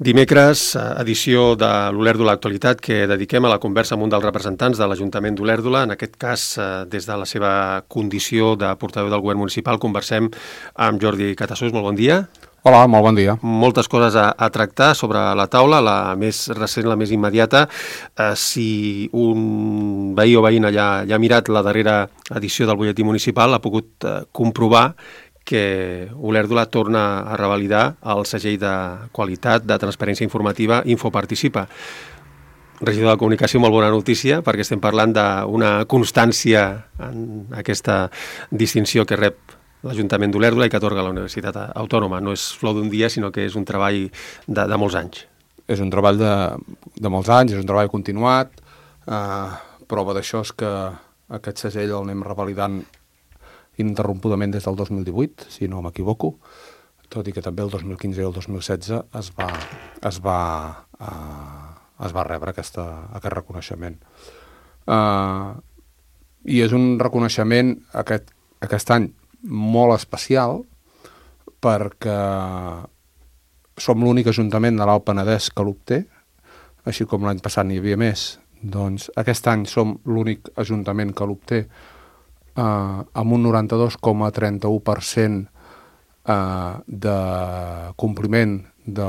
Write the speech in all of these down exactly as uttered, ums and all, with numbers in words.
Dimecres, edició de l'Olèrdola Actualitat, que dediquem a la conversa amb un dels representants de l'Ajuntament d'Olèrdola. En aquest cas, des de la seva condició de portaveu del govern municipal, conversem amb Jordi Catassós. Molt bon dia. Hola, molt bon dia. Moltes coses a, a tractar sobre la taula, la més recent, la més immediata. Eh, si un veí o veïna ja, ja ha mirat la darrera edició del butlletí municipal, ha pogut eh, comprovar que Olèrdola torna a revalidar el segell de qualitat de transparència informativa Infoparticipa. Regidor de Comunicació, molt bona notícia, perquè estem parlant d'una constància en aquesta distinció que rep l'Ajuntament d'Olèrdola i que atorga la Universitat Autònoma. No és flor d'un dia, sinó que és un treball de, de molts anys. És un treball de, de molts anys, és un treball continuat. Uh, prova d'això és que aquest segell el anem revalidant ininterrompudament des del dos mil divuit, si no m'equivoco, tot i que també el dos mil quinze i el dos mil setze es va, es va, uh, es va rebre aquesta, aquest reconeixement. Uh, I és un reconeixement aquest, aquest any molt especial perquè som l'únic ajuntament de l'Alt Penedès que l'obté, així com l'any passat n'hi havia més. Doncs aquest any som l'únic ajuntament que l'obté Uh, amb un noranta-dos coma trenta-u per cent uh, de compliment de,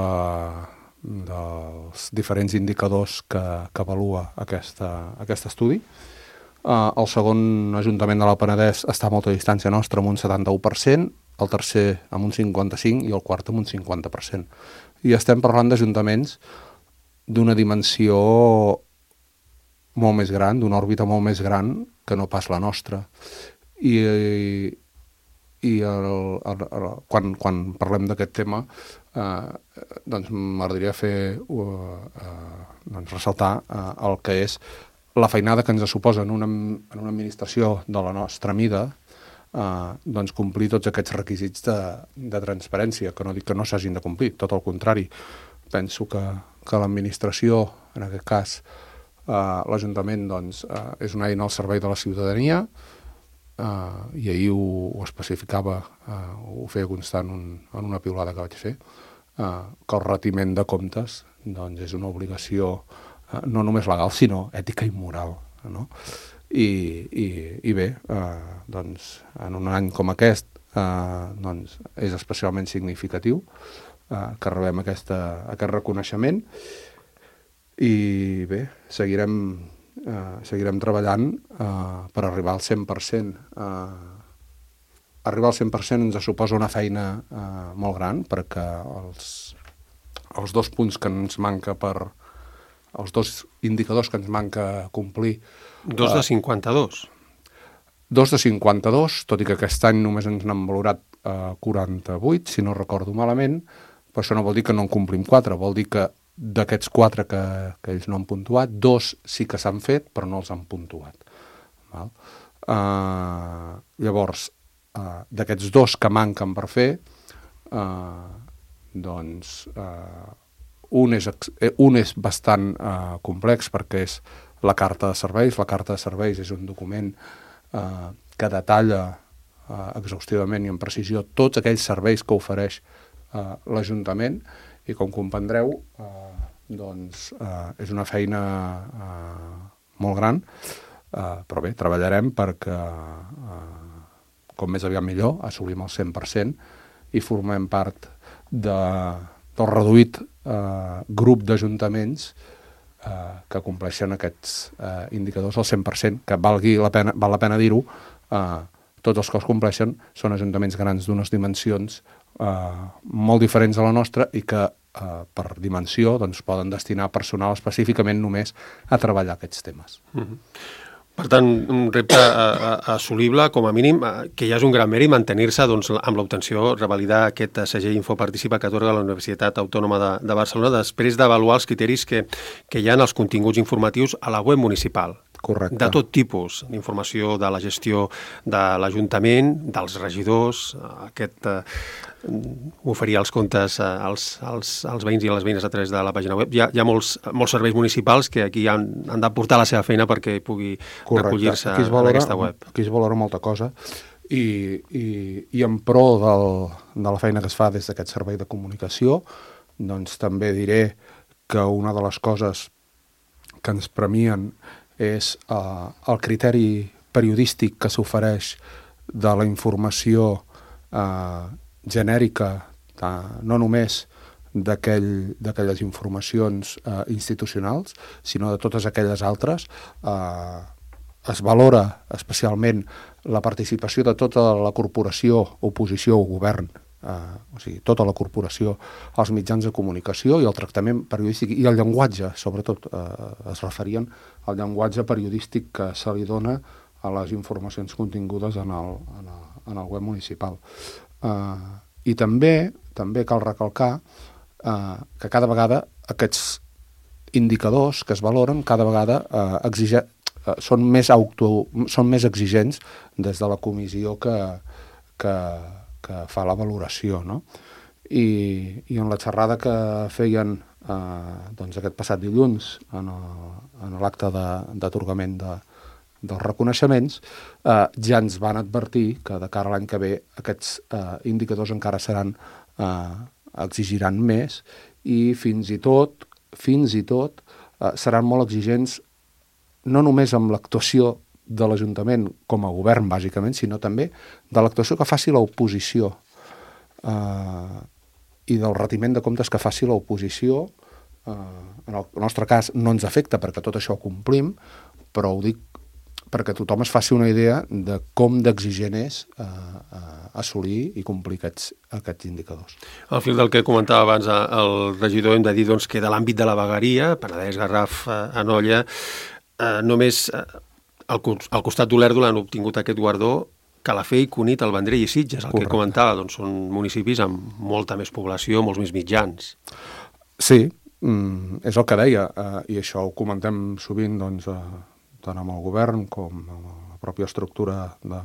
dels diferents indicadors que, que avalua aquesta, aquest estudi. Uh, el segon ajuntament de l'Alt Penedès està a molta distància nostra, amb un setanta-u per cent, el tercer amb un cinquanta-cinc per cent i el quart amb un cinquanta per cent. I estem parlant d'ajuntaments d'una dimensió molt més gran, d'una òrbita molt més gran que no pas la nostra. I, i el, el, el, quan, quan parlem d'aquest tema, eh, doncs m'agradaria fer, uh, uh, doncs ressaltar uh, el que és la feinada que ens suposa en una, en una administració de la nostra mida, uh, doncs complir tots aquests requisits de, de transparència, que no dic que no s'hagin de complir, tot el contrari. Penso que, que l'administració, en aquest cas, Uh, l'Ajuntament doncs, uh, és una eina al servei de la ciutadania uh, i ahir ho, ho especificava, uh, ho feia constar en, un, en una piulada que vaig fer, uh, que el retiment de comptes doncs, és una obligació uh, no només legal, sinó ètica i moral. No? I, i, i bé, uh, doncs, en un any com aquest uh, doncs, és especialment significatiu uh, que rebem aquesta, aquest reconeixement. I bé, seguirem, eh, seguirem treballant eh, per arribar al cent per cent. Eh, arribar al cent per cent ens suposa una feina eh, molt gran, perquè els, els dos punts que ens manca per... els dos indicadors que ens manca complir... Dos de cinquanta-dos. Dos de cinquanta-dos, tot i que aquest any només ens n'han valorat eh, quaranta-vuit, si no recordo malament, però això no vol dir que no en complim quatre, vol dir que d'aquests quatre que, que ells no han puntuat, dos sí que s'han fet, però no els han puntuat. Val? Uh, llavors, uh, d'aquests dos que manquen per fer, uh, doncs uh, un, és, un és bastant uh, complex perquè és la carta de serveis. La carta de serveis és un document uh, que detalla uh, exhaustivament i amb precisió tots aquells serveis que ofereix uh, l'Ajuntament. I com comprendreu, eh, doncs, eh, és una feina eh, molt gran, eh, però bé, treballarem perquè, eh, com més aviat millor, assolim el cent per cent i formem part de, del reduït eh, grup d'ajuntaments eh, que compleixen aquests eh, indicadors al cent per cent, que valgui la pena, val la pena dir-ho, eh, tots els que els compleixen són ajuntaments grans d'unes dimensions Uh, molt diferents a la nostra i que uh, per dimensió doncs, poden destinar personal específicament només a treballar aquests temes. Mm-hmm. Per tant, un repte uh, assolible, com a mínim, uh, que ja és un gran mèrit mantenir-se doncs, amb l'obtenció, revalidar aquest segell Infoparticipa que atorga la Universitat Autònoma de, de Barcelona després d'avaluar els criteris que, que hi ha en els continguts informatius a la web municipal. Correcte. De tot tipus, d'informació de la gestió de l'Ajuntament, dels regidors, aquest eh, oferir els comptes als, als, als veïns i a les veïnes a través de la pàgina web. Hi ha, hi ha molts, molts serveis municipals que aquí han, han de portar la seva feina perquè pugui recollir-se en aquesta web. Aquí es valora molta cosa i, i, i en pro del, de la feina que es fa des d'aquest servei de comunicació, doncs també diré que una de les coses que ens premien és eh, el criteri periodístic que s'ofereix de la informació eh, genèrica, eh, no només d'aquell, d'aquelles informacions eh, institucionals, sinó de totes aquelles altres. Eh, es valora especialment la participació de tota la corporació, oposició o govern, eh, o sigui, tota la corporació als mitjans de comunicació i el tractament periodístic i el llenguatge, sobretot, eh, es referien al llenguatge periodístic que se li dona a les informacions contingudes en el, en el, en el web municipal. Eh, I també, també cal recalcar eh, que cada vegada aquests indicadors que es valoren cada vegada eh, exige, eh, són, més auto, són més exigents des de la comissió que, que, que fa la valoració, no? I, i en la xerrada que feien eh, doncs aquest passat dilluns en l'acte d'atorgament de, dels reconeixements, eh, ja ens van advertir que de cara a l'any que ve aquests eh, indicadors encara seran, eh, exigiran més i fins i tot, fins i tot eh, seran molt exigents no només amb l'actuació de l'Ajuntament com a govern, bàsicament, sinó també de l'actuació que faci l'oposició eh, i del retiment de comptes que faci l'oposició. Eh, en el nostre cas no ens afecta perquè tot això ho complim, però ho dic perquè tothom es faci una idea de com d'exigent és eh, eh, assolir i complir aquests, aquests indicadors. Al fil del que comentava abans el regidor, hem de dir doncs, que de l'àmbit de la vegueria, Penedès, Garraf, eh, Anoia, eh, només eh, al, al costat d'Olèrdola han obtingut aquest guardó Calafell, Cunit, el Vendrell i Sitges, el Correcte. Que comentava, doncs són municipis amb molta més població, molts més mitjans. Sí, mm, és el que deia, eh, i això ho comentem sovint, doncs, eh, tant amb el govern com amb la pròpia estructura de,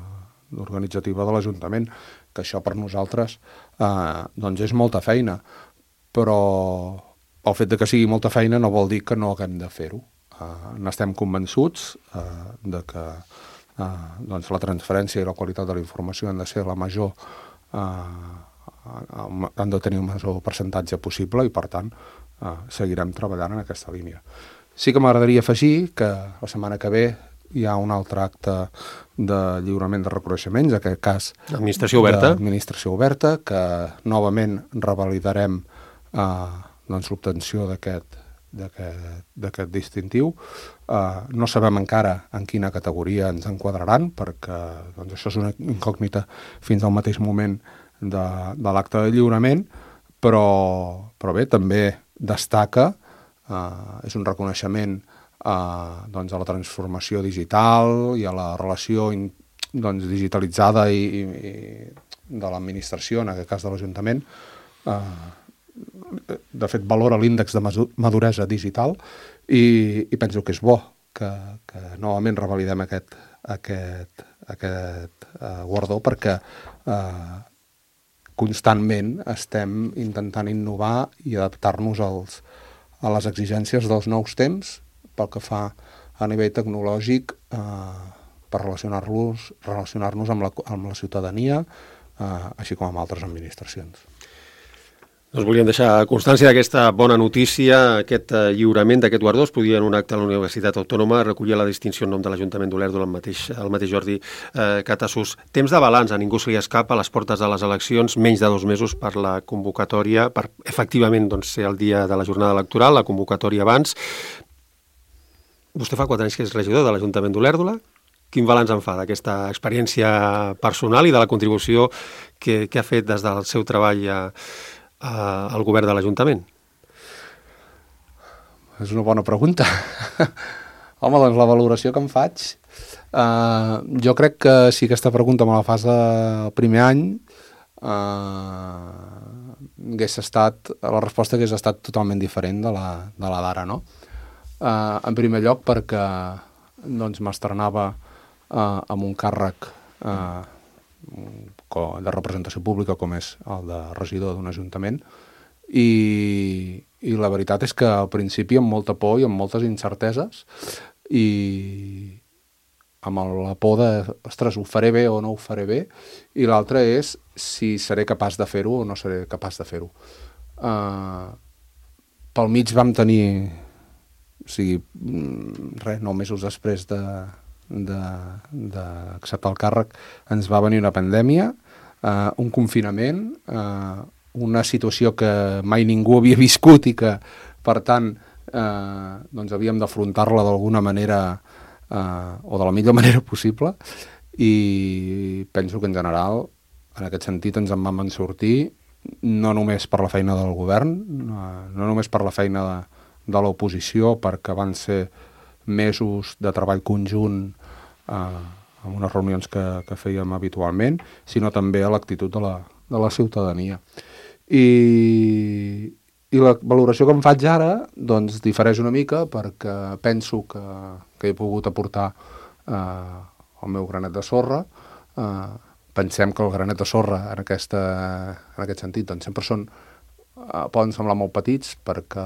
organitzativa de l'Ajuntament, que això per nosaltres eh, doncs és molta feina, però el fet de que sigui molta feina no vol dir que no haguem de fer-ho. Eh, n'estem convençuts eh, de que eh, doncs la transferència i la qualitat de la informació han de ser la major, eh, han de tenir el major percentatge possible i per tant eh, seguirem treballant en aquesta línia. Sí que m'agradaria afegir que la setmana que ve hi ha un altre acte de lliurament de reconeixements, en aquest cas Administració Oberta, Administració Oberta, que novament revalidarem eh, doncs, l'obtenció d'aquest d'aquest distintiu. Eh, no sabem encara en quina categoria ens enquadraran, perquè doncs, això és una incògnita fins al mateix moment de, de l'acte de lliurament, però, però bé, també destaca Uh, és un reconeixement uh, doncs a la transformació digital i a la relació in, doncs, digitalitzada i, i, i de l'administració, en aquest cas de l'Ajuntament. Uh, de fet, valora l'índex de maduresa digital i, i penso que és bo que, que novament revalidem aquest, aquest, aquest uh, guardó perquè uh, constantment estem intentant innovar i adaptar-nos als a les exigències dels nous temps pel que fa a nivell tecnològic eh, per relacionar-nos relacionar-nos amb la, amb la ciutadania, eh, així com amb altres administracions. Doncs volíem deixar constància d'aquesta bona notícia, aquest eh, lliurament d'aquest guardó. Es podia en un acte a la Universitat Autònoma recollir la distinció en nom de l'Ajuntament d'Olèrdola, el mateix, el mateix Jordi eh, Catasús. Temps de balanç, a ningú se li escapa, a les portes de les eleccions, menys de dos mesos per la convocatòria, per efectivament doncs, ser el dia de la jornada electoral, la convocatòria abans. Vostè fa quatre anys que és regidor de l'Ajuntament d'Olèrdola. Quin balanç en fa d'aquesta experiència personal i de la contribució que, que ha fet des del seu treball a al govern de l'Ajuntament? És una bona pregunta. Home, doncs la valoració que em faig, eh, jo crec que si aquesta pregunta me la fas el primer any, eh, hagués estat, la resposta hagués estat totalment diferent de la, de la d'ara, no? Eh, en primer lloc perquè doncs, m'estrenava eh, amb un càrrec eh, de representació pública com és el de regidor d'un ajuntament i, i la veritat és que al principi amb molta por i amb moltes incerteses i amb la por de, ostres, ho faré bé o no ho faré bé, i l'altra és si seré capaç de fer-ho o no seré capaç de fer-ho. Uh, pel mig vam tenir, o sigui, res, nou mesos després de, de, d'acceptar el càrrec, ens va venir una pandèmia, uh, un confinament, uh, una situació que mai ningú havia viscut i que, per tant, uh, doncs havíem d'afrontar-la d'alguna manera uh, o de la millor manera possible, i penso que en general, en aquest sentit, ens en vam en sortir, no només per la feina del govern, no, no només per la feina de, de l'oposició, perquè van ser mesos de treball conjunt eh, amb unes reunions que, que fèiem habitualment, sinó també a l'actitud de la, de la ciutadania. I, i la valoració que em faig ara doncs difereix una mica, perquè penso que, que he pogut aportar eh, el meu granet de sorra. Eh, pensem que el granet de sorra en, aquesta, en aquest sentit doncs sempre són, eh, poden semblar molt petits, perquè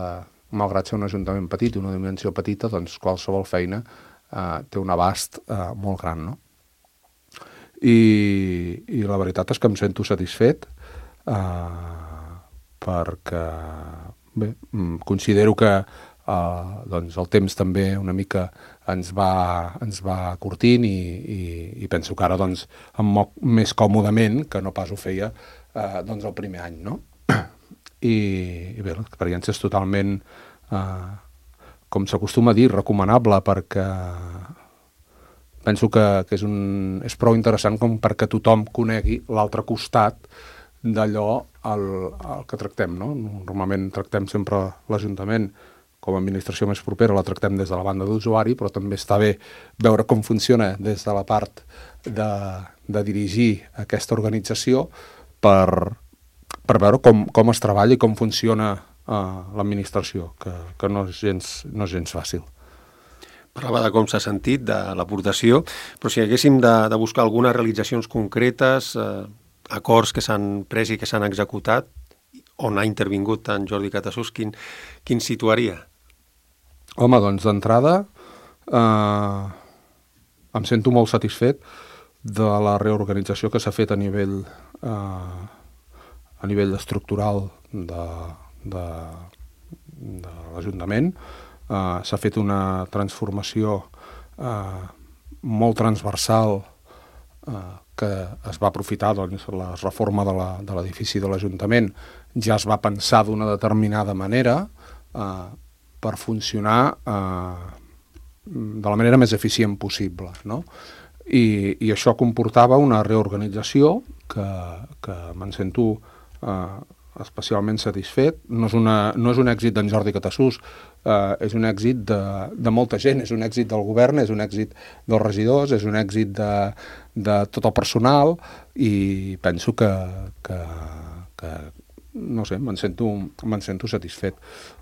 malgrat ser un ajuntament petit i una dimensió petita, doncs qualsevol feina eh, té un abast eh, molt gran, no? I, i la veritat és que em sento satisfet eh, perquè bé, considero que eh, doncs el temps també una mica ens va, ens va curtint i, i, i penso que ara doncs, em moc més còmodament que no pas ho feia eh, doncs el primer any, no? I, i bé, l'experiència és totalment, eh, com s'acostuma a dir, recomanable, perquè penso que, que és, un, és prou interessant com perquè tothom conegui l'altre costat d'allò al, al que tractem, no? Normalment tractem sempre l'Ajuntament com a administració més propera, la tractem des de la banda d'usuari, però també està bé veure com funciona des de la part de, de dirigir aquesta organització per, per veure com, com es treballa i com funciona uh, l'administració, que, que no és gens, no és gens fàcil. Parlava de com s'ha sentit, de l'aportació, però si haguéssim de, de buscar algunes realitzacions concretes, eh, acords que s'han pres i que s'han executat, on ha intervingut tant Jordi Catasús, quin, quin situaria? Home, doncs d'entrada eh, em sento molt satisfet de la reorganització que s'ha fet a nivell eh, a nivell estructural de, de, de l'Ajuntament. Eh, s'ha fet una transformació eh, molt transversal eh, que es va aprofitar, doncs, la reforma de l'edifici de l'Ajuntament ja es va pensar d'una determinada manera eh, per funcionar eh, de la manera més eficient possible, no? I, i això comportava una reorganització que, que me'n sento eh, especialment satisfet. No és, una, no és un èxit d'en Jordi Catasús, eh, és un èxit de, de molta gent, és un èxit del govern, és un èxit dels regidors, és un èxit de, de tot el personal, i penso que, que, que no sé, me'n sento, me'n sento satisfet.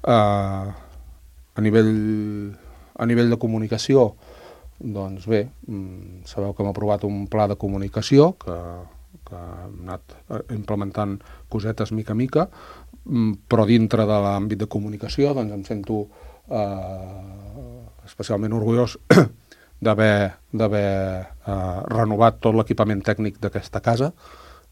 Eh, a nivell, a nivell de comunicació, doncs bé, sabeu que hem aprovat un pla de comunicació que, que hem anat implementant cosetes mica a mica, però dintre de l'àmbit de comunicació doncs em sento eh, especialment orgullós d'haver d'haver eh, renovat tot l'equipament tècnic d'aquesta casa,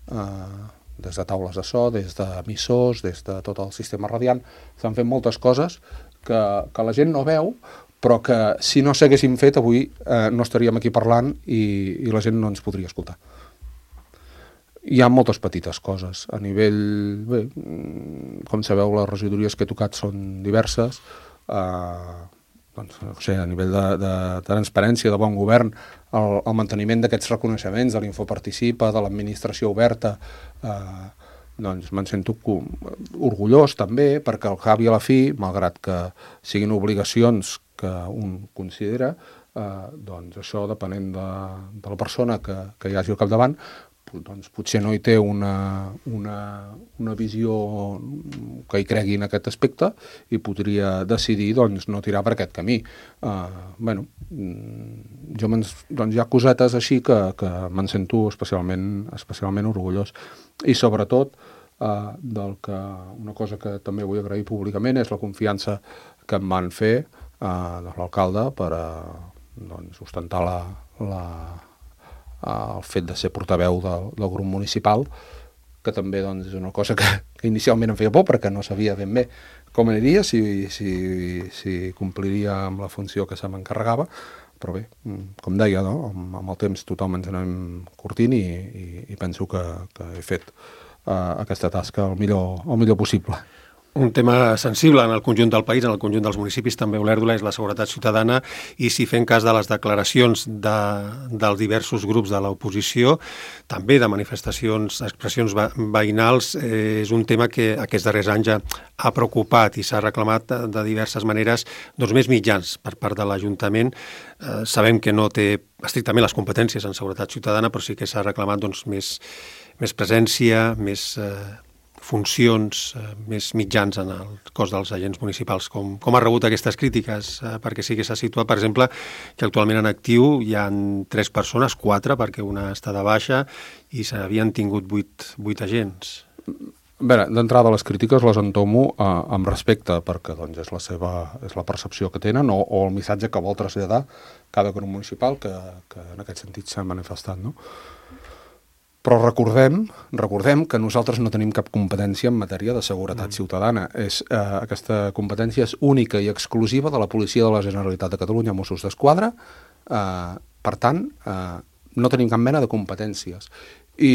eh, des de taules de so, des d'emissors, des de tot el sistema radiant. S'han fet moltes coses que, que la gent no veu, però que si no s'haguessin fet avui eh, no estaríem aquí parlant i, i la gent no ens podria escoltar. Hi ha moltes petites coses. A nivell, bé, com sabeu, les regidories que he tocat són diverses. Eh, doncs, no sé, a nivell de, de transparència, de bon govern, el, el manteniment d'aquests reconeixements, de l'Infoparticipa, de l'administració oberta, eh, doncs me'n sento orgullós també, perquè al cap i a la fi, malgrat que siguin obligacions que un considera, eh, doncs això, depenent de, de la persona que, que hi hagi al capdavant, doncs potser no hi té una, una, una visió que hi cregui en aquest aspecte i podria decidir doncs, no tirar per aquest camí. Uh, bueno, jo doncs hi ha cosetes així que, que me'n sento especialment, especialment orgullós. I sobretot, uh, del que, una cosa que també vull agrair públicament és la confiança que em van fer uh, de l'alcalde per uh, doncs, ostentar la, la el fet de ser portaveu del, del grup municipal, que també doncs, és una cosa que, que inicialment em feia por perquè no sabia ben bé com aniria, si, si, si compliria amb la funció que se m'encarregava, però bé, com deia, no? amb, amb el temps tothom ens anem curtint i, i, i penso que, que he fet uh, aquesta tasca el millor, el millor possible. Un tema sensible en el conjunt del país, en el conjunt dels municipis, també Olèrdola, és la seguretat ciutadana, i si fem cas de les declaracions de, dels diversos grups de l'oposició, també de manifestacions, expressions veïnals, eh, és un tema que aquests darrers anys ja ha preocupat i s'ha reclamat de, de diverses maneres doncs, més mitjans per part de l'Ajuntament. Eh, sabem que no té estrictament les competències en seguretat ciutadana, però sí que s'ha reclamat doncs, més, més presència, més... Eh, funcions eh, més mitjans en el cos dels agents municipals. Com, com ha rebut aquestes crítiques? Eh, perquè sí que s'ha situat, per exemple, que actualment en actiu hi ha tres persones, quatre, perquè una està de baixa, i s'havien tingut vuit, vuit agents. Bé, d'entrada les crítiques les entomo eh, amb respecte, perquè doncs, és, la seva, és la percepció que tenen o, o el missatge que vol traslladar cada grup municipal que, que en aquest sentit s'ha manifestat, no? Però recordem, recordem que nosaltres no tenim cap competència en matèria de seguretat mm. ciutadana. És, eh, aquesta competència és única i exclusiva de la Policia de la Generalitat de Catalunya, Mossos d'Esquadra. Eh, per tant, eh, no tenim cap mena de competències. I,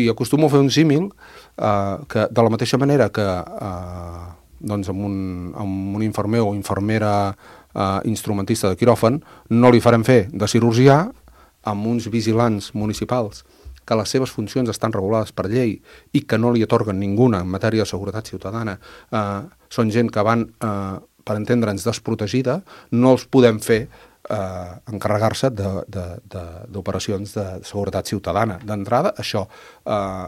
i acostumo a fer un símil eh, que de la mateixa manera que eh, doncs amb, un, amb un infermer o infermera eh, instrumentista de quiròfan no li farem fer de cirurgià amb uns vigilants municipals que les seves funcions estan regulades per llei i que no li atorguen ninguna en matèria de seguretat ciutadana, eh, són gent que van, eh, per entendre'ns, desprotegida, no els podem fer eh, encarregar-se d'operacions de, de, de seguretat ciutadana. D'entrada, això, eh,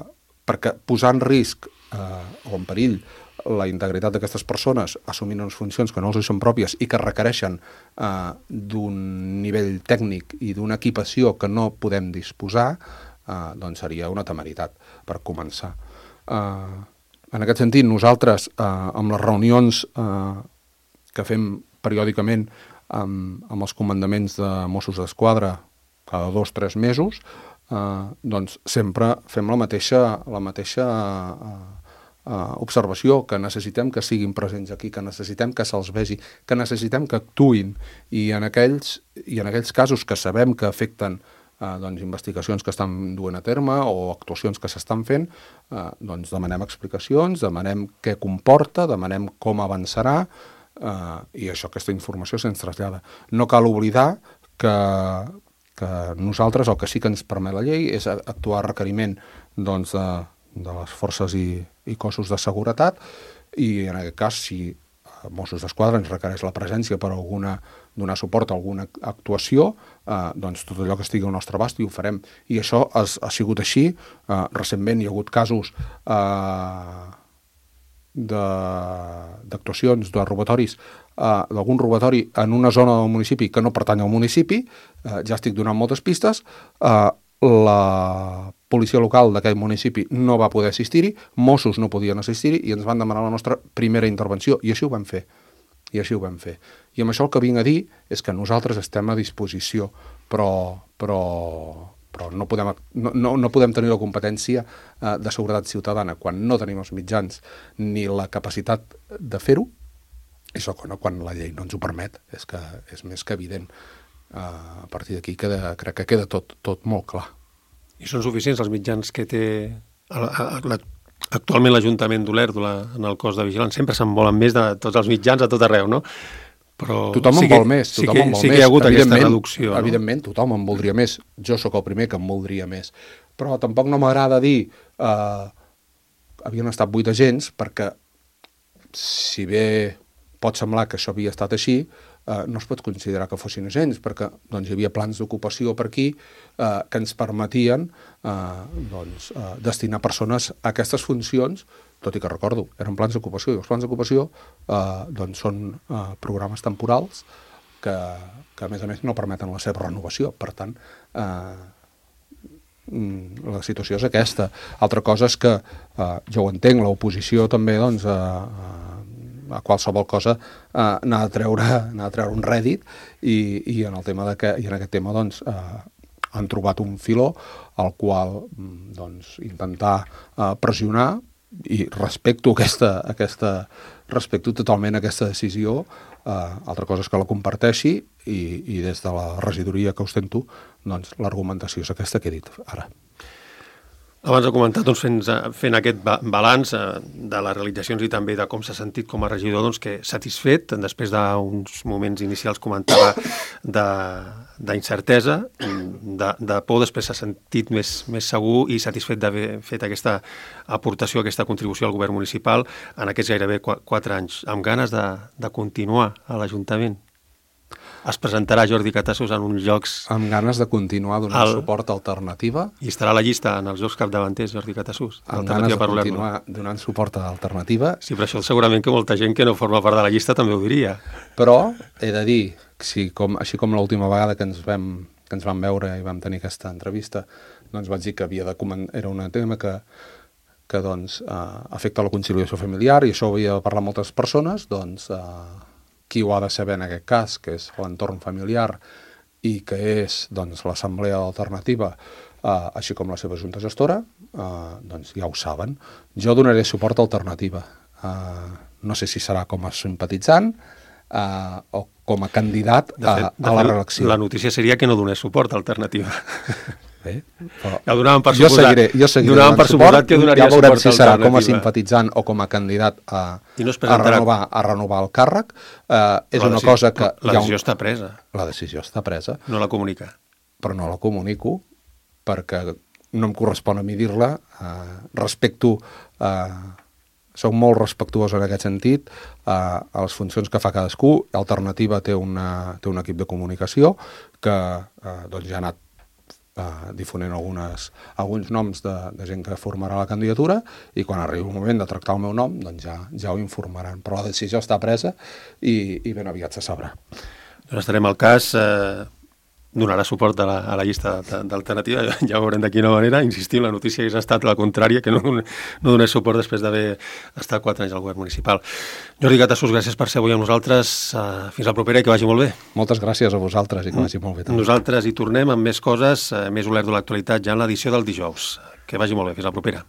perquè posar en risc eh, o en perill la integritat d'aquestes persones assumint unes funcions que no els són pròpies i que requereixen eh, d'un nivell tècnic i d'una equipació que no podem disposar, Uh, doncs seria una temeritat per començar. Uh, en aquest sentit, nosaltres, uh, amb les reunions uh, que fem periòdicament amb, amb els comandaments de Mossos d'Esquadra cada dos o tres mesos, uh, doncs sempre fem la mateixa, la mateixa uh, uh, observació, que necessitem que siguin presents aquí, que necessitem que se'ls vegi, que necessitem que actuïn, i en aquells, i en aquells casos que sabem que afecten Uh, doncs, investigacions que estan duent a terme o actuacions que s'estan fent, uh, doncs demanem explicacions, demanem què comporta, demanem com avançarà, uh, i això, aquesta informació se'ns trasllada. No cal oblidar que, que nosaltres, el que sí que ens permet la llei, és actuar a requeriment doncs, de, de les forces i, i cossos de seguretat, i en aquest cas, si Mossos d'Esquadra ens requereix la presència per alguna, donar suport a alguna actuació, eh, doncs tot allò que estigui al nostre abast i ho farem. I això ha, ha sigut així. Eh, recentment hi ha hagut casos eh, d'actuacions, de, de robatoris, eh, d'algun robatori en una zona del municipi que no pertany al municipi, eh, ja estic donant moltes pistes, eh, la policia local d'aquell municipi no va poder assistir-hi, Mossos no podien assistir-hi i ens van demanar la nostra primera intervenció, i així ho vam fer. I així ho vam fer. I amb això el que vinc a dir és que nosaltres estem a disposició, però, però, però no, podem, no, no, no podem tenir la competència eh, de seguretat ciutadana quan no tenim els mitjans ni la capacitat de fer-ho, i segon, quan la llei no ens ho permet, és que és més que evident. Uh, a partir d'aquí queda, crec que queda tot, tot molt clar. I són suficients els mitjans que té a, a, a, actualment l'Ajuntament d'Olèrdola en el cos de vigilants? Sempre se'n volen més de tots els mitjans a tot arreu, no? Però tothom sí en vol més, sí tothom que, en vol sí més. que hi ha hagut aquesta reducció. Evidentment, no? Tothom en voldria més. Jo sóc el primer que en voldria més. Però tampoc no m'agrada dir uh, havien estat vuit agents, perquè si bé pot semblar que això havia estat així, Uh, no es pot considerar que fossin agents, perquè doncs, hi havia plans d'ocupació per aquí uh, que ens permetien uh, doncs, uh, destinar persones a aquestes funcions, tot i que recordo, eren plans d'ocupació, i els plans d'ocupació uh, doncs, són uh, programes temporals que, que a més a més no permeten la seva renovació. Per tant, uh, la situació és aquesta. Altra cosa és que, uh, jo ho entenc, l'oposició també doncs, uh, uh, a qualsevol cosa eh, n'ha de treure, n'ha de treure un rèdit, i, i, en el tema de que, i en aquest tema doncs, eh, han trobat un filó al qual doncs, intentar eh, pressionar i respecto aquesta, aquesta respecto totalment aquesta decisió, eh, altra cosa és que la comparteixi i, i des de la regidoria que ostento, doncs l'argumentació és aquesta que he dit ara. Abans he comentat, doncs, fent, fent aquest balanç de les realitzacions i també de com s'ha sentit com a regidor, doncs, que satisfet, després d'uns moments inicials comentava d'incertesa, de, de por, després s'ha sentit més, més segur i satisfet d'haver fet aquesta aportació, aquesta contribució al govern municipal en aquests gairebé quatre anys, amb ganes de, de continuar a l'Ajuntament. Es presentarà Jordi Catassos en uns jocs... Amb ganes de continuar donant el... suport a Alternativa. I estarà a la llista en els jocs capdavanters, Jordi Catassos. Amb ganes de continuar donant suport a Alternativa. Sí, però això segurament que molta gent que no forma part de la llista també ho diria. Però he de dir, si com, així com l'última vegada que ens, vam, que ens vam veure i vam tenir aquesta entrevista, doncs vaig dir que havia de era un tema que, que doncs, eh, afecta la conciliació familiar i això ho havia de parlar amb moltes persones, doncs... Eh, qui ho ha de saber en aquest cas, que és l'entorn familiar i que és doncs, l'assemblea d'Alternativa, eh, així com la seva junta gestora, eh, doncs ja ho saben. Jo donaré suport a Alternativa. Eh, no sé si serà com a simpatitzant eh, o com a candidat a, de fet, de a la fet, reelecció. La notícia seria que no donés suport a Alternativa. Bé, però ja ho donaven per jo suposat, seguiré, jo seguiré donaven per suposat que donaria ja veurem suport si a serà com a Alternativa. simpatitzant o com a candidat a, no a, renovar, a renovar el càrrec. Eh, és la una decisió, cosa que... La decisió un... està presa. La decisió està presa. No la comunica. Però no la comunico perquè no em correspon a mi dir-la. Eh, respecto... Eh, soc molt respectuós en aquest sentit eh, a les funcions que fa cadascú. Alternativa té, una, té un equip de comunicació que eh, doncs ja ha anat Uh, difonent algunes, alguns noms de, de gent que formarà la candidatura i quan arribi el moment de tractar el meu nom doncs ja, ja ho informaran, però la decisió està presa i, i ben aviat se sabrà. Doncs estarem al cas, eh, donarà suport a la, a la llista d'Alternativa, ja ho veurem de quina manera. Insistim, la notícia hagués estat la contrària, que no, no donés suport després d'haver estat quatre anys al govern municipal. Jordi Catassos, gràcies per ser avui amb nosaltres. Uh, fins la propera i que vagi molt bé. Moltes gràcies a vosaltres i que vagi molt bé. També. Nosaltres hi tornem amb més coses, uh, més olert de l'actualitat ja en l'edició del dijous. Que vagi molt bé. Fins la propera.